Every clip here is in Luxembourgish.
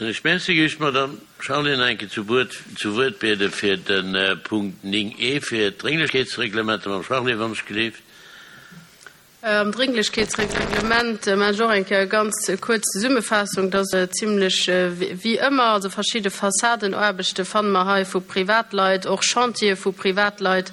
Ech Merci. Géif ech d'Madame Charlé nach eng Kéier zu Wuert zu Wuert biede fir de Punkt 9 e fir d'Drénglechkeetsreglementer. Madame Charlé, wann ech gleeft. Am Drénglechkeetsreglement maachen ech och eng Kéier e ganz kuerz Zesummefaassung. Dat ass zimlech wéi ëmmer, also verschidde Fassadenaarbechte fanne mer hei vu Privatleit, och Chantiere vu Privatleit,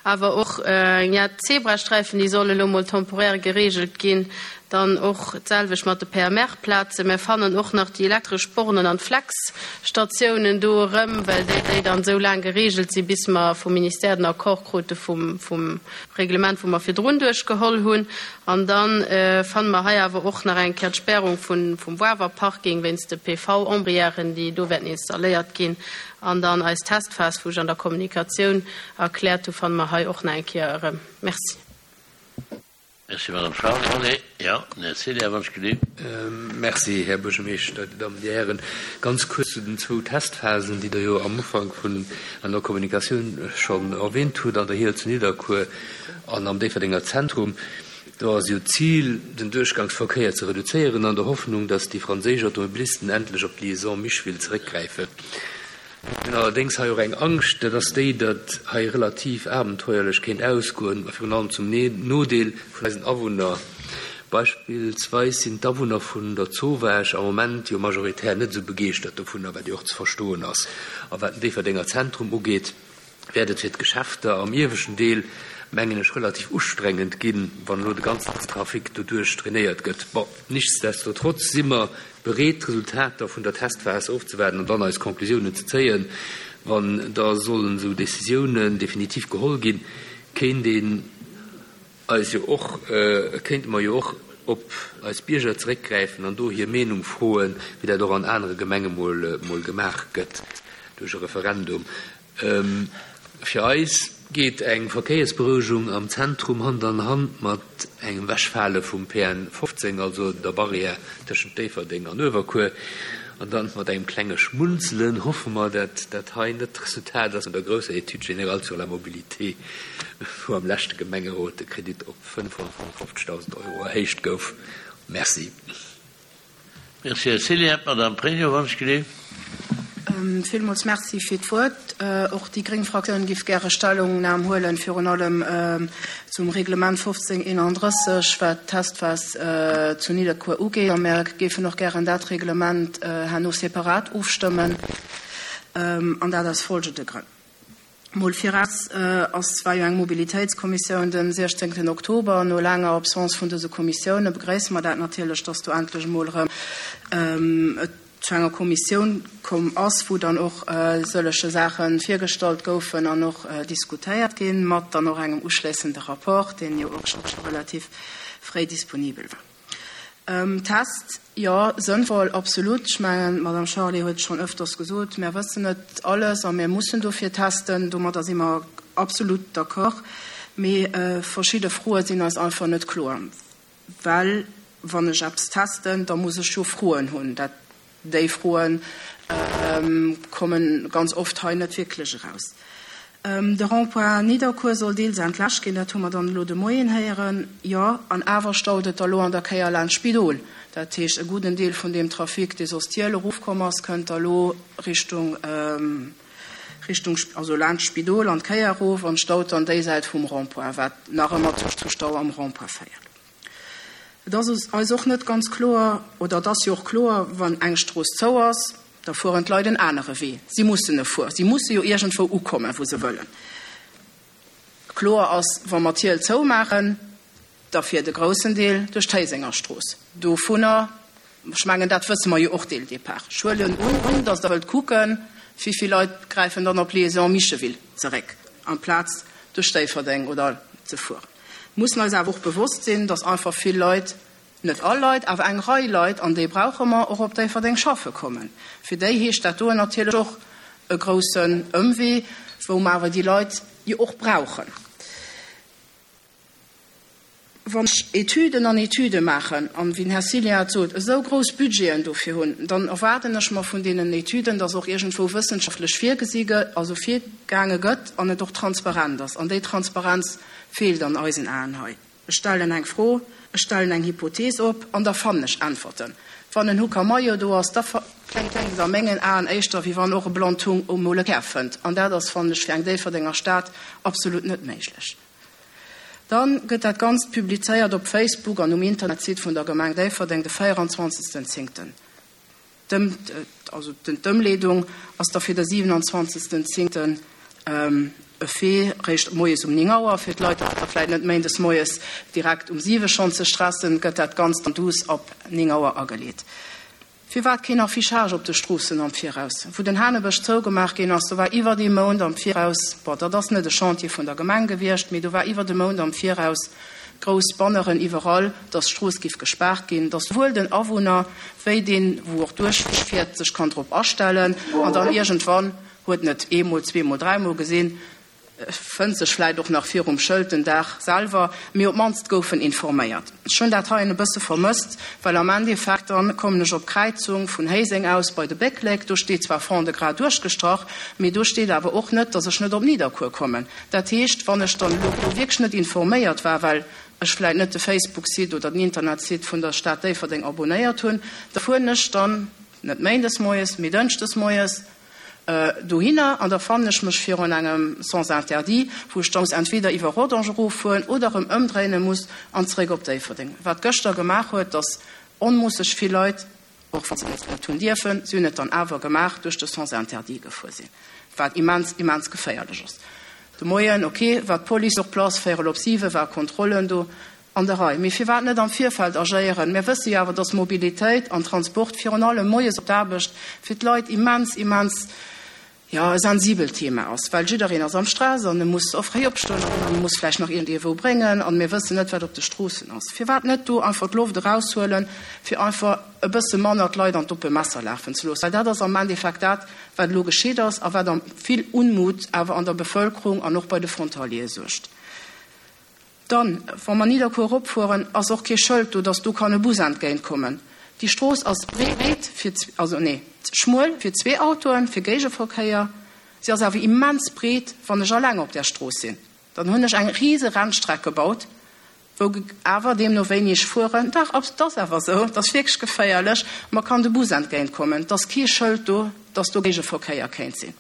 awer och, ja, d'Zebrasträifen, déi solle lo mol temporaire geregelt ginn. Dann och d'selwecht mat de PMR-Plazen. Mir fannen och nach déi elektresch Bornen an d'Flex-Statiounen do erëm, well déi dann esou laang geregelt sinn, bis mer vum Ministère den Accord krute vum, vum Reglement, wou mer virdrun duerchgeholl hunn. An da fanne mer hei awer och nach eng Kéier d'Spärung vun, vum Wawer Parking wéinst de PV-Ombrièren, déi do wäerten installéiert ginn. An dann eis Testphas, wou ech an der Kommunikatioun erkläert hu, fanne mer hei och nach eng Kéier erëm. Merci. Merci, Madame Charlé. Jo, den Här Celier, wann ech gelift. Merci, Här Buergermeeschter, Dir Dammen, Dir Hären. Ganz kuerz zu den zwou Testphasen, déi Der jo am Ufank vun an der Kommunikatioun schonn erwähnt hutt, an der Hiel zu Nidderkuer an am Déifferdenger Zentrum. Do ass jo d'Zil, den Duerchgangsverkéier ze reduzéieren, an der Hoffnung, datt déi franséisch Automobilisten endlech op d'Liaison Micheville zeréckgräifen. Mir hunn allerdéngs hei och eng Angscht, dat ass déi, datt hei relativ abenteuerlech kéint ausgoen, a virun allem zum Nodeel vun eisen Awunner. Beispillsweis sinn d'Awunner vun der Zowaasch am Moment jo majoritär net esou begeeschtert dovunner, wat jo och ze verstoen ass. A wat den Déifferdenger Zentrum ugeet, wäert et fir d'Geschäfter am ieweschten Deel, mengen ech, relativ ustrengend ginn, wann elo de ganzen Trafic doduerch trainéiert gëtt. Bon, nichtsdestotrotz si mer bereet, d'Resultater vun der Testphas ofzewaarden an dann eis Conclusiounen ze zéien. Wann da sollen esou Décisiounen definitiv geholl ginn, kéint een eis jo och, kéinte mer jo och op eis Bierger zeréckgräifen an do hir Meenung froen, wéi dat och an anere Gemenge mol, mol gemaach gëtt duerch e Referendum. Fir eis geet eng Verkéiersberouegung am Zentrum Hand an Hand mat engem Wechfale vum PN 15, also der Barrière tëschent Déifferdeng an Uewerkuer. An dann mat engem klenge Schmunzelen hoffe mer, dat dat hei net d'Resultat ass vun der grousser Étude générale sur la mobilité, wou am leschte Gemengerot de Kredit op 550.000 Euro erhéicht gouf. Merci. Merci, Här Celier. D'Madame Pregno, wann ech gleef. Villmools Merci fir d'Wuert. Och déi gréng Fraktioun géif gäre Stellungnam huelen, virun allem zum Reglement 1531, wat d'Testphas zu Nidderkuer ugeet. A mär géifen och gären dat Reglement herno separat ofstëmmen, an dat aus folgende Grënn. Mol viraus ass, war jo eng Mobilitéitskommissioun den 16 Oktober. No laanger Absence vun dëse Kommissioune begréisse mer dat natierlech, dass do endlech emol erëm et zu enger Kommissioun komm ass, wou dann och sëllege Saache virgestallt goufen an och diskutéiert ginn, mat dann och engem uschléissende Rapport, deen jo och scho relativ fréi disponibel war. Test, jo, sënnvoll, absolut. Ech mengen, d'Madame Charlé huet et schonn öfters gesot, mär wëssen net alles a mär mussen dofir testen. Domadder si mer absolut d'accord. Mee verschidde Froe sinn eis einfach net kloer, well wann ech eppes testen, da muss ech jo Froen hunn. Dat Déi Froe komme ganz oft hei net wierklech eraus. De Rond-point Nidderkuer soll deels entlaascht ginn, dat hu mer dann elo de Moien héieren. Jo, an awer staut et da lo an der Kéier laanscht Spidol. Dat heescht, e gudden Deel vun deem Trafic, dee soss d'Hiel erofkomm ass, kënnt da lo Richtung, Richtung, also laanscht Spidol an d'Kéier erof an staut dann déi Säit vum Rond-point, wat nach ëmmer zu Stau am Rond-point féiert. Et ass eis och net ganz kloer, oder et ass jo och kloer, wann eng Strooss zou ass, da fueren d'Leit en anere Wee. Si mussen e fueren. Si musse jo iergendwou ukommen, wou se wëllen. Kloer ass, wa mer d'Hiel zoumaachen, da fiert e groussen Deel duerch d'Héisengerstrooss. Dovunner, ech mengen, dat wësse mer jo och dès le départ. Ech huelen un, datt Der wëllt kucken, wéi vill Leit gräifen dann op d'Liaison Micheville zeréck, amplaz duerch Déifferdeng oder ze fueren. Mussen eis awer och bewosst sinn, dass einfach vill Leit, net all Leit, awer eng Rei Leit, an déi brauche mer, och op Déifferdeng schaffe kommen. Fir déi heescht dat doen natierlech och e groussen Ëmwee, wou mer awer déi Leit jo och brauchen. Wann ech Etüden an Etüde maachen an, wéi den Här Cillien et sot, esou grouss Budgeten dofir hunn, dann erwaarden ech mer vun deenen Etüden, dass och iergendwou wëssenschaftlech virgesi gëtt, also virgaange gëtt an et och transparent ass. An déi Transparenz feelt an eisen Aen hei. Ech stellen eng Fro, ech stellen eng Hypothees op an da fannen ech Äntwerten. Wann en Hucamayo do ass, da. Kléngt et a mengen Aen éischter, wéi wann och e Blondhung emol e Kär fënnt. An dat ass, fannen ech, fir eng Déifferdenger Stad absolut net méiglech. Dann gëtt dat Ganzt publizéiert op Facebook an um Internetsite vun der Gemeng Déifferdeng de 24. Zéngten. D'Ëmleedung ass da fir de 27. Zéngten e Fait, réischt moies um 9 Auer. Fir d'Leit da vläit net méindes moies direkt um 7 schonn ze stressen, gëtt dat Ganzt dann duuss ab 9 Auer ageleet. Firwat keen Affichage op de Stroossen am Viraus? Wou den Hanebësch zougemaach ginn ass, do war iwwert ee Mount am Viraus, bon, dat ass net e Chantier vun der Gemeng gewiescht, mee do war iwwert e Mount am Viraus grouss Banneren iwwerall, dass d'Strooss giff gespaart ginn, dass souwuel den Awunner wéi deen, wou och duerchfiert, sech kann drop astellen an dann iergendwann, huet en et eemol, zweemol, dräimol gesinn, fënnt sech vläit och nach virum Schëld den Dag selwer, mee op d'mannst gouf en informéiert. Ech hunn dat heien e bësse vermësst, well am Endeffekt dann kommen ech op d'Kräizung vun Héiseng aus bei de Bécklek, do steet zwar Fond-de-Gras duerchgestrach, mee do steet awer och net, dass ech net op Nidderkuer kommen. Dat heescht, wann ech dann elo do wierklech net informéiert war, well ech vläit net de Facebook-Site oder den Internetsite vun der Stad Déifferdeng abonéiert hunn, da fueren ech dann net méindes moies, mee dënschdes moies dohinner an da fannen ech mech virun engem Sens interdit, wou ech da muss entweder iwwer Rodange eroffueren oder erëm ëmdréine muss an zeréck op Déifferdeng. Wat gëschter gemaach huet, dass onmoosseg vill Leit, och wa se et net hunn dierfen, si hunn et dann awer gemaach, duerch de Sens interdit gefuer sinn, wat immens, immens geféierlech ass. De Moien, ok, war d'Police sur place, véierel op siwe war Kontrollen do an der Rei. Mee firwat net am Virfeld agéieren? Mir wësse jo awer, dass Mobilitéit an Transport, virun allem moies op d'Aarbecht, fir d'Leit immens, immens, jo, e sensibelt Thema ass, well jiddereen ass am Stress an e muss och fréi opstoen an e muss vläicht nach iergendee wou bréngen an mir wëssen net, wat op de Stroossen ass. Firwat net do einfach d'Loft eraushuelen, fir einfach e bësse manner d'Leit an d'oppe Messer lafen ze loossen? Well dat ass am Endeffekt dat, wat elo geschitt ass a wat am vill Unmut awer an der Bevëlkerung an och bei de Frontaliere suergt. Dann, wa mer Nidderkuer eropfueren, ass och kee Schëld do, dass do kann e Bus entgéintkommen. Déi Strooss ass breet fir, also nee, schmuel fir zwee Autoen, fir Géigeverkéier. Si ass awer immens breet, wann ech alleng op där Strooss sinn. Dann hunn ech eng rise Rennstreck gebaut, wou awer, deemno wéini ech fueren, dach, et ass awer esou, et ass wierklech geféierlech, mer kann de Bus entgéintkommen. Et ass kee Schëld do, dass do Géigeverkéier kéint sinn.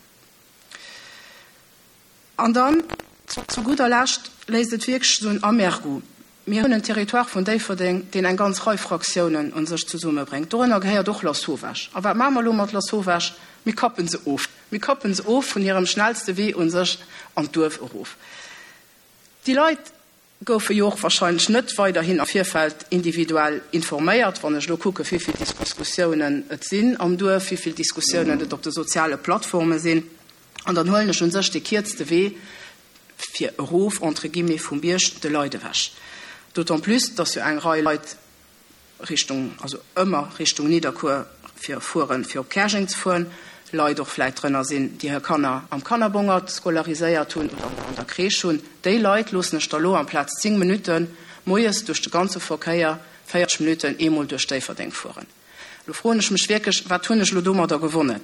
An dann, zu gudder Lescht, léisst et wierklech esou en Amergoût. Mir hunn en Territoire vun Déifferdeng, deen eng ganz Rei Fraktiounen un sech zesummebréngt. Dorënner gehéiert och Lasauvage. A wat maache mer elo mat Lasauvage? Mir kappe se of. Mir kappe se of vun hirem schnellste Wee u sech an d'Duerf erof. Déi Leit goufe jo och wahrscheinlech net weiderhin am Virfeld individuell informéiert. Wann ech elo kucke wéi vill Diskussiounen et sinn am Duerf, wéi vill Diskussiounen et op de soziale Plattforme sinn, an dann huelen ech un sech dee kierzte Wee fir erof, entre guillemets, vum Bierg de Leit ewech. D'autant plus, dass jo eng Rei Leit Richtung, also ëmmer Richtung Nidderkuer fir fueren, fir op Käerjeng ze fueren, Leit och vläit drënner sinn, déi hir Kanner am Kannerbongert scolariséiert hunn oder an der Crèche hunn. Déi Leit loossen ech da lo amplaz 10 Minutte moies duerch de ganze Verkéier 40 Minutten eemol duerch Déifferdeng fueren. Lo froen ech mech wierklech, wat hunn ech elo domadder gewonnen,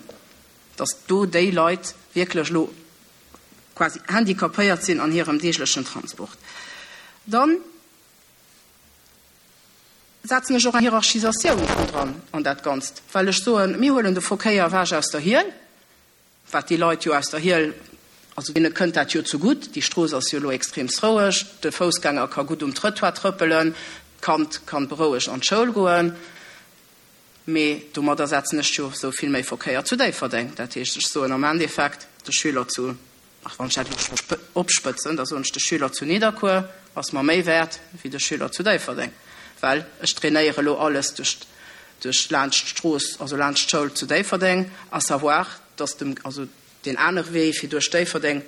dass do déi Leit wierklech elo quasi handicapéiert sinn an hirem deeglechen Transport. Dann setzen ech och eng Hierarchisatioun dran an dat Ganzt, well ech soen, mir huelen de Verkéier ewech aus der Hiel, wat déi Leit jo aus der Hiel, also deene kënnt dat jo zegutt, déi Strooss ass jo elo extreemst roueg, de Foussgänger ka gutt um Trëttoir trëppelen, d'Kand kann berouegt an d'Schoul goen, mee domadder setzen ech jo esou vill méi Verkéier zu Déifferdeng. Dat heescht, ech soen am Endeffekt de Schüler zu Ach, wann ech dat elo opspëtzen, da soen ech, de Schüler zu Nidderkuer ass mer méi wäert wéi de Schüler zu Déifferdeng, well ech trainéiere elo alles duerch, duerch laanscht d'Strooss, also laanscht d'Schoul zu Déifferdeng, à savoir, dass dem, also deen anere Wee fir duerch Déifferdeng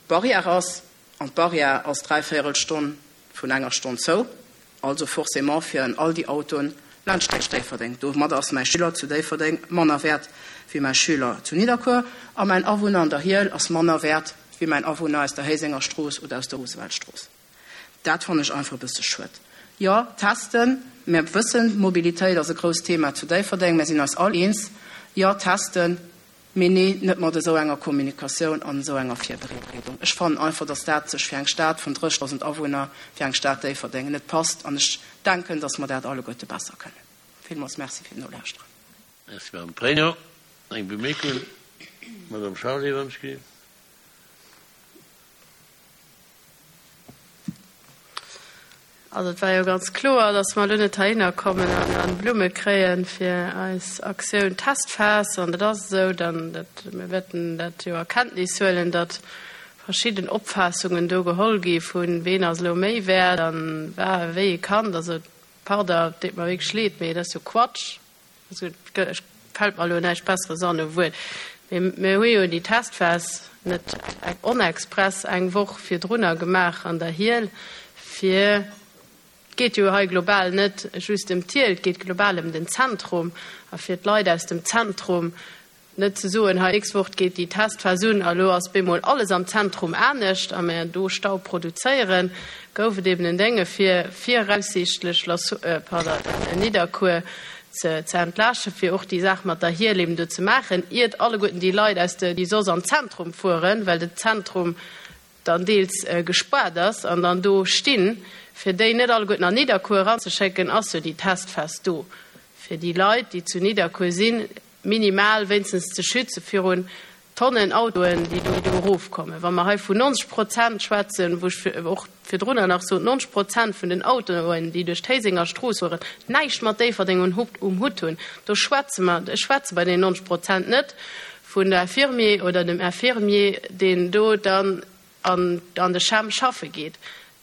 d'Barrière ass, an d'Barrière ass dräivéierel Stonn vun enger Stonn zou. Also forcément fieren all déi Autoen laanscht Déifferdeng. Domadder ass mäi Schüler zu Déifferdeng manner wäert wéi mäi Schüler zu Nidderkuer a mäin Awunner an der Hiel ass manner wäert wéi mäin Awunner aus der Héisenger Strooss oder aus der Rooseveltstrooss. Dat fannen ech einfach e bësse schued. Jo, testen, mir wëssen, Mobilitéit ass e grousst Thema zu Déifferdeng, mir sinn eis all eens. Jo, testen. Mee nee, net mat esou enger Kommunikatioun an esou enger Virbereedung. Ech fannen einfach, dass dat sech fir eng Stad vun 30.000 Awunner, fir eng Stad Déifferdeng net passt. An ech denken, dass mer dat alleguerte besser kënnen. Villmools Merci fir d'Nolauschteren. Merci, Madame Pregno. Eng Bemierkung, Madame Charlé, wann ech gelift. Also et war jo ganz kloer, datt mer elo net heihinner kommen an Blumme kréie fir eis Aktioun Testphas. An dat ass esou. Dann, dat, mir wäerten dat jo a Kenntnis huelen, datt verschidden Opfaassungen do geholl gi vu ween ass elo méi wäert an wa wéi e Kand. Also pardon, et deet mer wierklech leed, mee dat ass jo Quatsch. Also et fält mer elo näischt Besseres an u Wuert. Mee mir hu jo déi Testphas net onexpress eng Woch virdrunner gemaach an der Hiehl, fir, et geet jo hei global net just ëm d'Hiehl, et geet global ëm den Zentrum, a fir d'Leit aus dem Zentrum Net ze soen, hei d'nächst Woch geet déi Testphas un a lo ass bemol alles am Zentrum anescht a mer do Stau produzéieren, gouf et eben en Dénge fir viraussiichtlech pardon, Nidderkuer ze ze entlaaschten, fir och déi Saach mat der Hiel eben do ze maachen, iert alleguerten déi Leit aus de, déi soss an d'Zentrum fueren, well den Zentrum dann deels gespaart ass an dann do stinn, fir déi net alleguerten an Nidderkuer eranzeschécken, ass jo déi Testphas do fir déi Leit, déi zu Nidderkuer sinn, minimal wéinstens ze schütze virun Tonnen Autoen, déi do erofkommen. Wa mer hei vun 90 Prozent schwätzen, wou ech och virdrunner nach sot, 90 Prozent vun den Autoen, déi duerch d'Héisenger Strooss fueren, näischt mat Déifferdeng um Hutt hunn, do schwätze mer, ech schwätze bei deenen 90 Prozent net vun der Infirmier oder dem Infirmier, deen do dann an an de CHEM schaffe geet.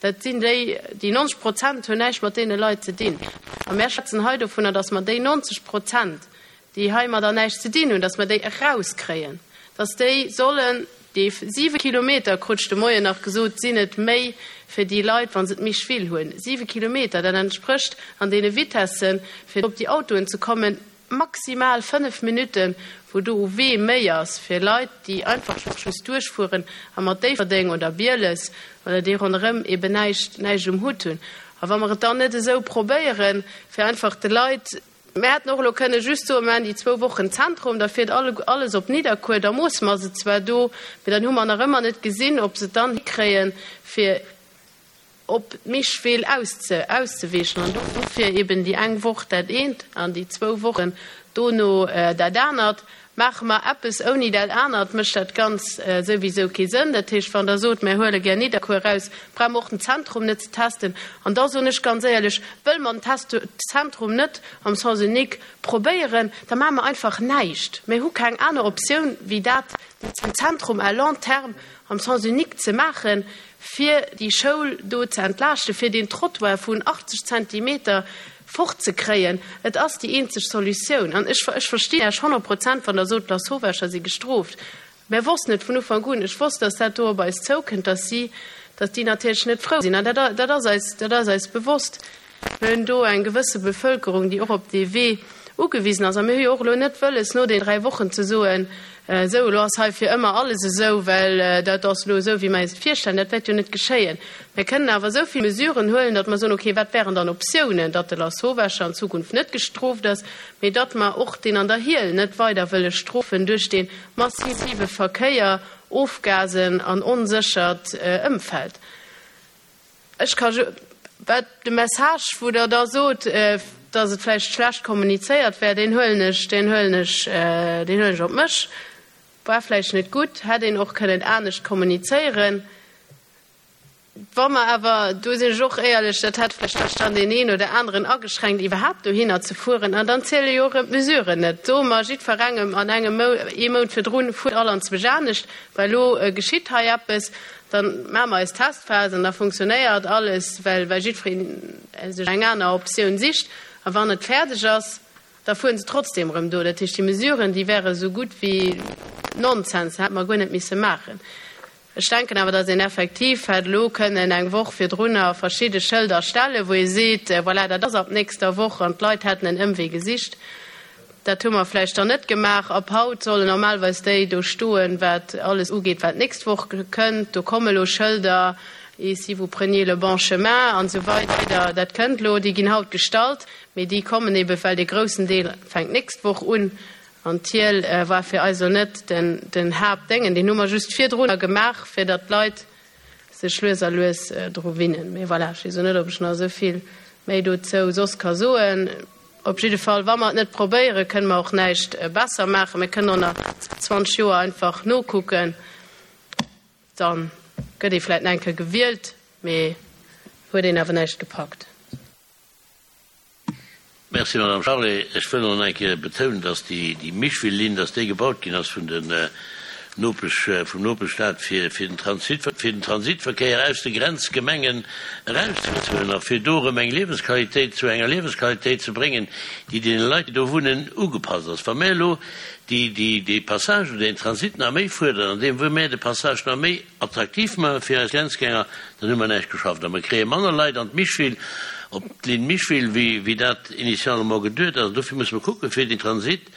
Dat sinn déi, déi 90 Prozent hunn näischt mat deene Leit ze dinn. A mär schwätzen hei dovunner, datt mer déi 90 Prozent, déi heimadder näischt ze dinn hunn, datt mer déi erauskréien, datt déi sollen déi siwe Kilometer, krut ech de Moien nach gesot, sinn et méi fir déi Leit, wa se d'Micheville hunn. Siwe Kilometer, dat entsprécht an deene Vitessen, fir op déi Autoen ze kommen, Maximal 5 Minutten, wou do u Wee méi ass fir Leit, déi einfach just duerchfueren a mat Déifferdeng oder Bieles oder déi ronderëm eben näischt, näischt um Hutt hunn. A wa mer et dann net esou probéieren, fir einfach de Leit, mir hätten och elo kënne just soen, mir maachen déi zwou Wochen Zentrum, da fiert alles op Nidderkuer, da moosse mer se zwar do, mee dann hu mer nach ëmmer net gesinn, ob se et dann hikréien, fir op d'Michwill auszeweechen an dofir eben déi eng Woch dat eent an déi zwou Wochen dono dat anert. Maache mer eppes ouni dat anert, mécht dat Ganz souwisou kee Sënn. Dat heescht, wann Der sot, mir huele gär Nidderkuer eraus, brauche mer och den Zentrum net ze testen. An da soen ech ganz éierlech, wëlle mer den Zentrum net am Sens unique probéieren, da maache mer einfach näischt. Mir hu keng aner Optioun wéi dat, den Zentrum à long terme am Sens unique ze maachen, fir déi Schoul do ze entlaaschten, fir deen Trottoir vun 80 Zentimeter fortzekréien. Et ass déi eenzeg Solutioun. An ech, ech verstinn Iech 100 Prozent, wann Der sot, d'Lasauvescher si gestrooft. Mär wossten et vun Ufank un. Ech wosst, dass dat do op eis zoukënnt, dass si, dass déi natierlech net frou sinn. An dat, dat ass eis, dat ass eis bewosst. Mir hunn do eng gewësse Bevëlkerung, déi och op dee Wee ugewisen ass. A mir hu jo och elo net wëlles, no den 3 Wochen ze soen, Esou, elo ass hei fir ëmmer alles esou, well dat ass elo esou, wéi mer eis et virstellen. Dat wäert jo net geschéien. Mir kënnen awer esou vill Mesuren huelen, datt mer soen, okay, wat wären dann Optiounen, datt de Lasauvescher an Zukunft net gestrooft ass, mee datt mer och deen an der Hiehl net weider wëlle strofen duerch dee massive Verkéier, Ofgasen an onséchert Ëmfeld. Ech ka ju, wat de Message, wou Der da sot, dass et vläicht schlecht kommunizéiert wär, deen huelen ech, deen huelen ech, deen huelen ech op mech. War vläicht net gutt, hätt een och kënnen anescht kommunizéieren. Wa mer awer, do sinn ech och éierlech, dat hätt vläicht dann deen een oder aneren ageschränkt, iwwerhaapt dohinner ze fueren. An dann ziele jo och erëm d'Mesuren net. Soe mer jiddwerengem an engem Mou-, ee Mount virdrun, fuert all anzwousch anescht, well elo geschitt hei eppes. Dann maache mer eis Testphas an da funktionéiert alles, well well jiddwereen sech eng aner Optioun sicht. A wann et fäerdeg ass, da fueren se trotzdeem erëm do. Dat heescht, déi Mesuren, déi wäre sou gutt wéi Nonsens, hätte mer guer net misse maachen. Ech denken awer, datt een effektiv hätt elo kënnen eng Woch virdrunner verschidde Schëlder stellen, wou ee seet, voilà, dat ass ab nächster Woch, an d'Leit hätten en Ëmwee gesicht. Dat hu mer vläicht dann net gemaach. Ab haut sollen normalerweis déi do stoen, wat alles ugeet, wat d'nächst Woch kënnt. Do komme lo Schëlder, Et si vous preniez le bon chemin an esou weider. Dat kënnt lo, déi ginn haut gestallt, mee déi kommen ebe well dee groussen Deel fänkt d'nächst Woch un. An d'Hiel war fir eis elo net den, den Haaptdéngen. Deen hu mer just virdrunner gemaach, fir datt d'Leit sech lues a lues dru winnen. Mee voilà, ech weess elo net, ob ech nach esou vill méi dozou soss ka soen. Op jidde Fall, wa mer et net probéieren, kënne mer och näischt besser maachen. Mir kënnen och nach 20 Joer einfach nokucken. Da gëtt ee vläicht nach eng Kéier gewielt, mee huet een awer näischt gepackt. Merci, Madame Charlé. Ech wëll och nach eng Kéier betounen, dass déi Micheville-Linn, dass déi gebaut ginn ass vun den Nopesch, vum Nopeschstaat, fir fir den Transit, fir den Transitverkéier aus de Grenzgemengen erauszehuelen a fir do erëm eng Liewensqualitéit zu enger Liewensqualitéit ze bréngen, déi deene Leit, déi do wunnen, ugepasst ass. Wa mir elo déi, déi, dee Passage oder deen Transit nach méi fuerderen, andeem wou mir de Passage nach méi attraktiv maache fir eis Grenzgänger, dann hu mer näischt geschafft a mer kréie manner Leit an d'Micheville, op d'Linn Micheville, wéi, wéi dat initialement geduet ass. An dofir musse mer kucken, fir den Transit,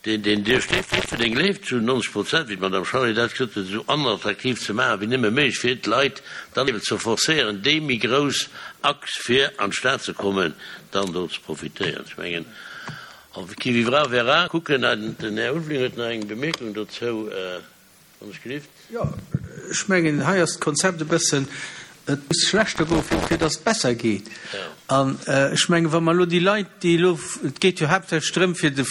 deen, deen duerch Déifferdeng leeft, zu 90 Prozent, wéi d'Madame Charlé dat gesot huet, esou onattraktiv ze maachen wéi nëmme méiglech, fir d'Leit dann eben ze forcéieren, déi méi grouss Achs fir an d'Stad ze kommen, dann do ze profitéieren. Ech mengen, qui vivra verra. Kucken, den Här Ulveling huet nach eng Bemierkung dozou. Wann ech gelift. Jo, ech mengen, hei ass d'Konzept e bëssen, et muss schlechter goen, fir fir datt et besser geet. An ech mengen, wa mer elo déi Leit, déi elo, et geet jo haaptsächlech drëm, fir de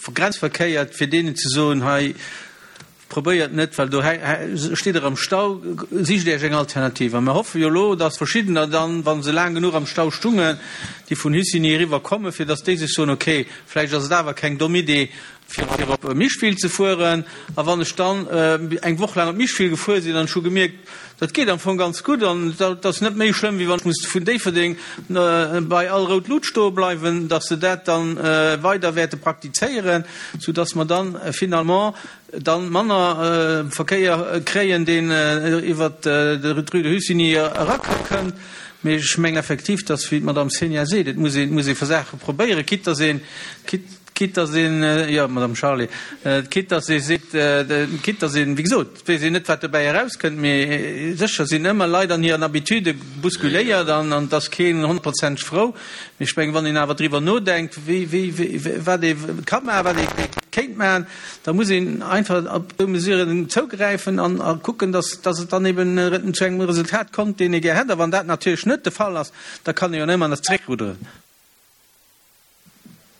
Grenzverkéier, fir deenen ze soen, hei, probéiert net, well do steet Der am Stau, sicht Iech eng Alternativ. A mer hoffe jo elo, datt verschiddener dann, wa se laang genuch am Stau stungen, déi vun Hussigny eriwwer kommen, fir datt déi sech soen, okay, vläicht ass et awer keng domm Idee, fir op Micheville ze fueren. A wann ech dann eng Woch laang op Micheville gefuer sinn an ech hu gemierkt, dat geet am Fong ganz gutt an dat ass net méi schlëmm, wéi wann ech muss vun Déifferdeng bei all rout Lut stoe bleiwen, datt se dat dann weider wäerte praktizéieren, soudatt mer dann finalement dann manner Verkéier kréien, deen iwwert d'Rue de Hussigny erakënnt. Mee ech mengen effektiv, datt, wéi d'Madame Cenia seet, et muss een, et muss ee Saache probéieren, quitte datt een, quitte, Quitte dass een, jo, Madame Charlé, quitte dass ee seet, quitte dass een, wéi gesot, et weess een net, wat dobäi erauskënnt, mee sécher sinn ëmmer Leit an hiren Habitudë bousculéiert an et ass keen honnertprozenteg frou. Mee ech mengen, wann een awer driwwer nodenkt, wéi, wéi, wéi, wat ee ka maachen, wat ee kéint maachen, da muss een einfach op déi Mesuren zougräifen an a kucken, dass, dass et dann eben zu engem Resultat kommt, deen ee gär hätt. A wann dat natierlech net de Fall ass, da kann ee jo ëmmer nach zeréckrudderen.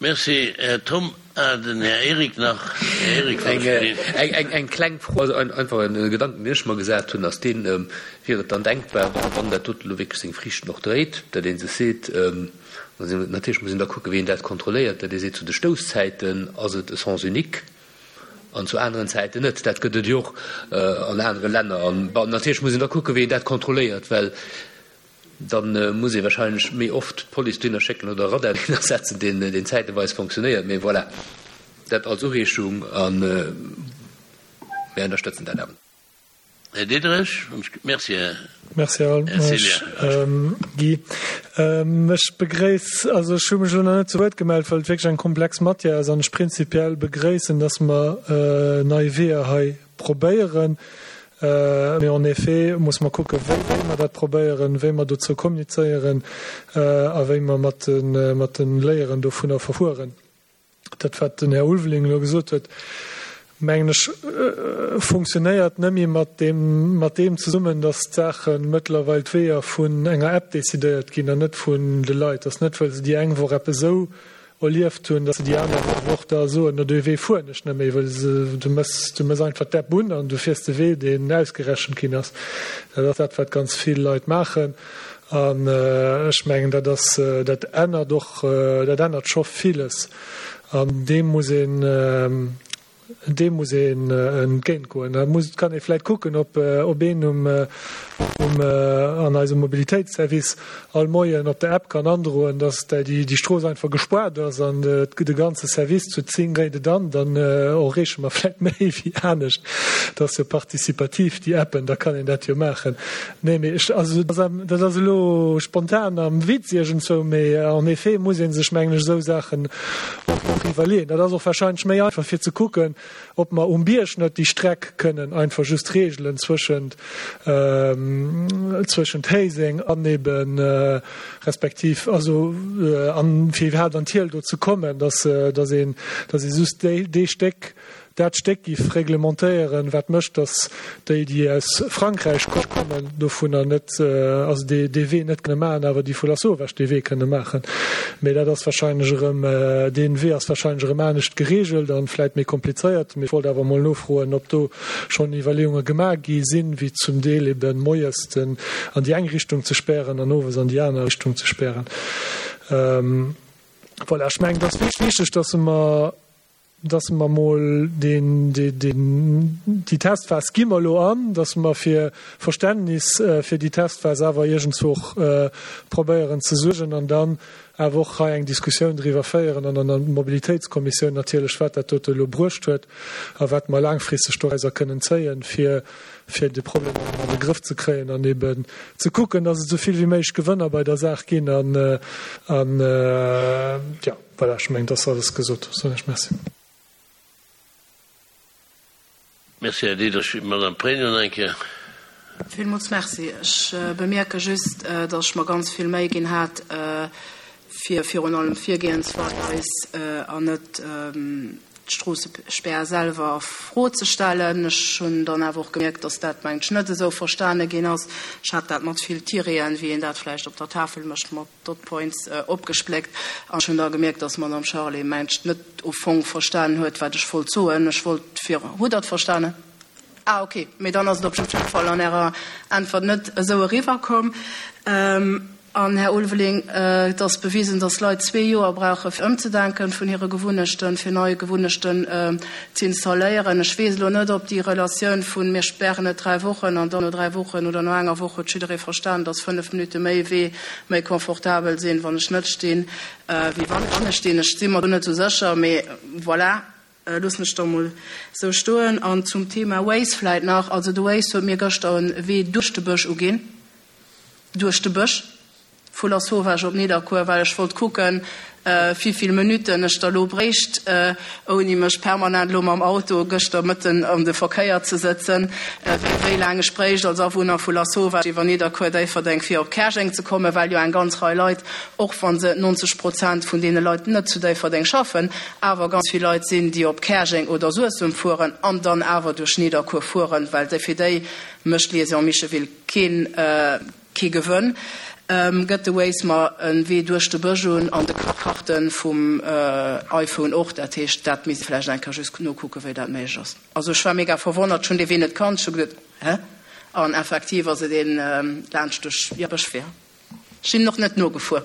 Merci, Här Thom. Den Här Eric nach. Här Eric, wann ech gelift. Eng kleng Fro, also einfach e Gedanken, deen ech mer gesat hunn, ass deen, Wier et dann denkbar, wann dat doten elo wierklech seng Friichten och dréit, datt ee sech seet, natierlech muss een da kucken, wéi een dat kontrolléiert, datt ee seet, zu de Stousszäiten ass et e Sens unique an zu aneren Zäiten net. Dat gëtt et jo och an anere Länner. An natierlech muss een da kucken, wéi een dat kontrolléiert, well Dann muss ee wahrscheinlech méi oft d'Police dohinner schécken oder e Radar dohinner setzen, deen zäiteweis fonctionnéiert. Mee voilà, dat als Ureegung a mir ënnerstëtzen dat awer. Här Diderich, Merci, Här Merci, Här Guy. Ech begréiss, also ech hu mech elo nach net zu Wuert gemellt, well et wierklech eng komplex Matière ass an ech prinzipiell begréissen, dass mer nei Weeër hei probéieren. Mee en effet muss mer kucken, wéi mer dat probéieren, wéi mer dozou kommunizéieren a wéi mer mat de Léieren dovunner verfueren. Dat, wat den Här Ulveling elo gesot huet, mengen ech, funktionéiert nëmme mat deem zesummen, dass d'Saache mëttlerweil, d'Weeër vun enger App decidéiert ginn an net vun de Leit. Dass net, well se déi eng Woch eppes esou erlieft hunn, datt se déi aner Woch da soen, no dee Wee fueren ech net méi, well se, du mëss, du mëss einfach d'App un an du fiers de Wee, deen ausgerechent ginn ass. Dat ass dat, wat ganz vill Leit maachen. An ech mengen, dat ass, dat ännert och, dat ännert scho villes. An deem muss een, Deem muss een entgéint goen. Da muss, kann ee vläit kucken, ob, ob een um, um, an eisem Mobilitéitsservice all Moien op der App kann androen, dass déi, déi Strooss einfach gespaart ass an de ganze Service zu 10 dréit et an. Dann erreeche mer vläit méi wéi anescht. Dat ass jo participativ, déi Appen, da kann een dat jo maachen. Nee, mee ech, also dat ass elo spontan am Witz iergendzwou, mee en effet muss ee sech, mengen ech, esou Saachen och iwwerleeën. Dat ass och wahrscheinlech méi einfach fir ze kucken, ob mer um Bierg net déi Streck kënnen einfach just regelen zwëschent, zwëschent Héiseng an eben, respektiv also an fir iwwerhaapt an d'Hiel do ze kommen, dass, dass een, dass ee just déi, dee Stéck. dat Stéck giff reglementéieren, wat mécht, datt déi, déi aus Frankräich kommen, dovunner net, also dee Wee net kënne maachen, awer déi vu Lasauvage dee Wee kënne maachen. Mee dat ass wahrscheinlech erëm, dee Wee ass wahrscheinlech erëm anescht geregelt a vläit méi komplizéiert. Mee ech wollt awer emol nofroen, ob do schonn Iwwerleeunge gemaach gi sinn, wéi zum Deel eben moies den an déi eng Richtung ze spären an owes an déi aner Richtung ze spären. Voilà, ech mengen, et ass wichteg, dass mer, dass mer emol deen, deen, déi Testphas gi mer elo an, dass mer fir Verständnis fir déi Testphas awer iergendzwou och probéieren ze suergen an dann awer och hei eng Diskussioun driwwer féieren an an der Mobilitéitskommissioun natierlech, wat dat dote elo bruecht huet a wat mer laangfristeg dorauser kënnen zéien, fir fir de Problem an de Grëff ze kréien an eben ze kucken, dass et esou vill wéi méiglech Gewënner bei der Saach ginn an, an, jo, voilà, ech mengen, et ass alles gesot. Soen ech Merci. Merci, Här Diderich. Madame Pregno nach eng Kéier. Villmools Merci. Ech bemierke just, dass ech mer ganz vill Méi ginn hat, fir virun allem d'Virgehensweis an net d'Stroossespär selwer a Fro ze stellen. Ech hunn dann awer och gemierkt, dass dat, mengt ech, net esou verstane ginn ass. Ech hat dat mat vill Tireten, wéi een dat vläicht op der Tafel mécht, mat Dot Points opgespléckt. An ech hunn da gemierkt, dass d'Madame Charlé, mengt ech, net au fong verstanen huet, wat ech wollt soen. Ech wollt vir. Hutt Der et verstanen? Ah, okay. Mee dann ass et op jidde Fall an Ärer Äntwert net esou eriwwerkomm. An, Här Ulveling, et ass bewisen, dass Leit zwee Joer brauche fir ëmzedenken vun hire Gewunnechten, fir nei Gewunnechten z'installéieren. Ech weess elo net, ob déi Relatioun vun mir spären et dräi Wochen an dann no dräi Wochen oder no enger Woch huet jidderee verstan, dass fënnef Minutte méi Wee méi confortabel sinn, wann ech net stinn, wéi wann ech stinn. Ech si mer do net esou sécher, mee voilà. Loossen ech da mol sou stoen. An zum Thema Waze vläit nach, also de Waze huet mir gëschter e Wee duerch de Bësch uginn, duerch de Bësch vu Lasauvage op Nidderkuer, well ech wollt kucken, wivill Minutten ech da lo bréicht, ouni mech permanent lo mam Auto gëschter mëtten an de Verkéier ze sëtzen, wéi laang ech bréicht als Awunner vu Lasauvage iwwer Nidderkuer, Déifferdeng fir op Käerjeng ze kommen, well jo eng ganz Rei Leit, och wa se 90 Prozent vun deene Leit net zu Déifferdeng schaffen, awer ganz vill Leit sinn, déi op Käerjeng oder Suessem fueren an dann awer duerch Nidderkuer fueren, well fir déi mécht d'Liaison Micheville keen kee Gewënn. Gëtt de Waze mer e Wee duerch de Bësch un an de Karte vum iPhone och. Dat heescht, dat misst ee vläicht eng Kéier just nokucken, wéi dat méiglech ass. Also ech war mega verwonnert, ech hunn dee Wee net kannt, ech hu geduet, hä? An effektiv ass et een laanscht duerch Bëschwee. Ech sinn en och net nogefuer.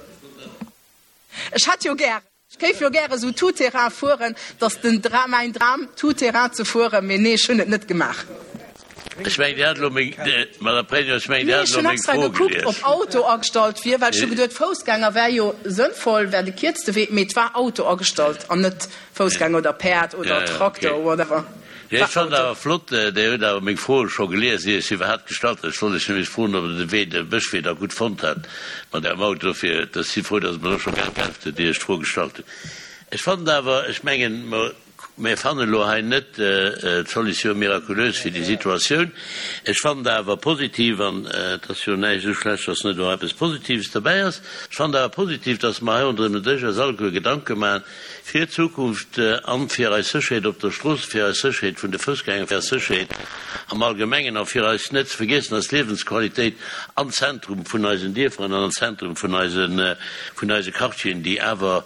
Ech hätt jo gären. Ech géif jo gäre sou tout terrain fueren, dass den Dram, mäin Dram tout terrain ze fueren, mee nee, ech hunn et net gemaach. Ech mengen, Dir hat elo meng, Madame Pregno, ech mengen, Dir Nee, hat ech elo hunn meng extra Fro gekuckt, gelies. ob Auto agestallt wier, well ech hu geduet, Foussgänger wär jo sënnvoll, wär de kierzte Wee, mee et war Auto agestallt an net Foussgänger oder Päerd oder Ja, ja, Trakter, okay. whatever. Jo, War ech fannen Auto. awer flott, Dir hutt awer meng Fro scho gelies, ier ech se iwwerhaapt gestallt hat. Ech wollt lech nämlech froen, ob Der de Wee, de Bëschwee da gutt fonnt hat mat Ärem Auto. Dofir, ech si frou, dass Der mer elo scho geäntwert hutt, ier ech d'Fro gestallt hunn. Ech fannen awer, ech mengen, mer, mer fannen elo hei net d'Solution miraculeuse fir déi Situatioun. Ech fannen awer positiv, an et ass jo näischt esou schlecht, dass net och eppes Positives derbäi ass, ech fannen awer positiv, dass mer hei ronderëm den Dësch eis alleguer Gedanke maachen, Fir d'Zukunft an fir eis Sécherheet op der Strooss, fir eis Sécherheet vun de Foussgänger, fir eis Sécherheet am Allgemengen a fir eis, net ze vergiessen, eis Liewensqualitéit am Zentrum vun eisen Dierfer an am Zentrum vun eisen, vun eise Quartieren, déi awer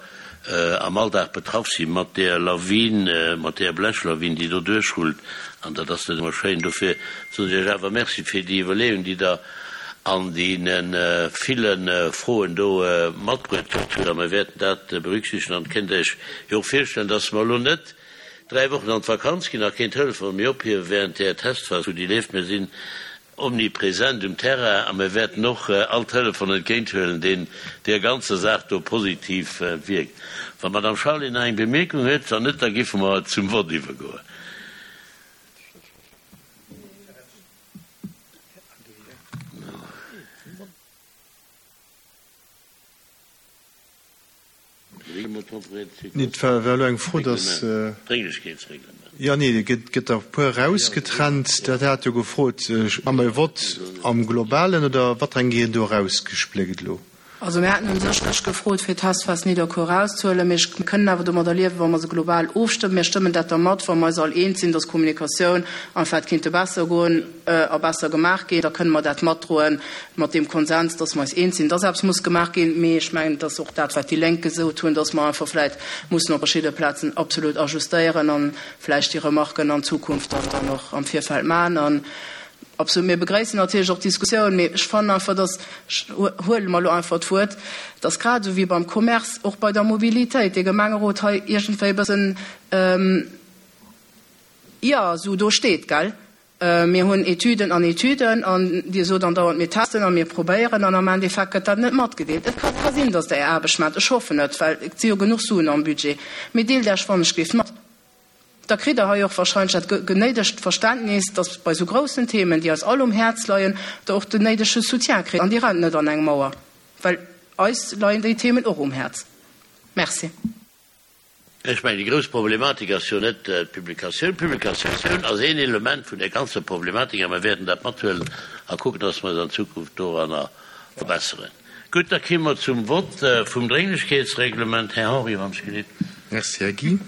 am Alldag betraff si mat där Lawin, mat där Blechlawin, déi do duerchrullt. An dat ass net ëmmer schéin. Dofir soen ech Iech awer Merci fir déi Iwwerleeung, déi Der an deene ville Froen do matbruet hutt. A mir wäerten dat berücksichtegen. An et kënnt Iech jo och virstellen, dass mer elo net dräi Wochen an d'Vakanz ginn a keen Telefon méi ophiewe während där Testphas, wou déi leeft. Mir sinn omnipresent um Terrain a mir wäerten och all Telefon entgéinthuelen, deen där ganzer Saach do positiv wierkt. Wann d'Madame Charlé nach eng Bemierkung huet, wann net, da géife mer zum Vott iwwergoen. Nee, et war elo eng Fro, dass. Jo, nee, et gëtt der e puer erausgetrennt. Dat hat jo gefrot, Hu mer e Vott am Globalen oder wat eng ginn do erausgespléckt elo? Also mir haten u sech gefrot, fir d'Testphas Nidderkuer erauszehuelen. Mee mir kënnen awer domadder liewen, wa mer se global ofstëmmen. Mir stëmmen dat da mat, wa mer eis all eens sinn, dass Kommunikatioun einfach hätt kinnte besser goen a besser gemaach ginn. Da kënne mer dat matdroen, mat deem Konsens, dass mer eis eens sinn, dass eppes muss gemaach ginn. Mee ech mengen, et ass och dat, wat déi Lénk gesot hunn, dass mer einfach vläicht mussen op verschidde Plazen absolut ajustéieren a vläicht déi Remarken an Zukunft dann och am Virfeld maachen. Absolut, mir begréissen natierlech och d'Diskussioun, mee ech fannen einfach, dass, ech huele mer elo einfach d'Wuert, dass grad esou wéi beim Commerce och bei der Mobilitéit dee Gemengerot hei iergendwéi e bëssen, jo, esou do steet, gell. Mir hunn Etüden an Etüden an Dir sot andauernd, mir testen a mir probéieren an am Endeffekt gëtt dat net matgedeelt. Et ka sinn, dass Der Är Aarbecht maacht, ech hoffen et, well et si jo genuch Suen am Budget, mee deelt Iech wannechgelift mat. Da kritt Der hei och wahrscheinlech dat néidegt Verständnis, dass bei esou groussen Themen, déi eis all um Häerz leien, Der och den néidege Soutien kritt. An Dir rennt net an eng Mauer, well eis leien déi Themen och um Häerz. Merci. Ech mengen, déi grouss Problematik ass jo net d'Publikatioun. D'Publikatioun ass een Element vun där ganzer Problematik a mir wäerten dat mathuelen a kucken, dass mer eis an Zukunft doranner verbesseren. Gutt, da kéime mer zum Vott vum Drénglechkeetsreglement. Här Henry, wann ech gelift. Merci, Här Guy.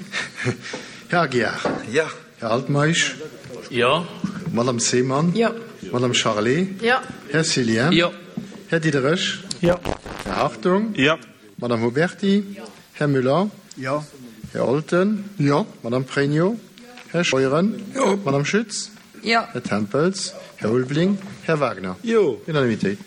Här Aguiar. Jo. Här Altmeisch. Jo. Madame Seemann. Jo. Madame Charlé. Jo. Här Cillien. Jo. Här Diderich. Jo. Här Hartung. Jo. Madame Huberty. Jo. Här Müller. Jo. Här Olten. Jo. Madame Pregno. Här Scheuren. Jo. Madame Schütz. Jo. Här Tempels. Här Ulveling. Här Wagner. Jo. Unanimitéit.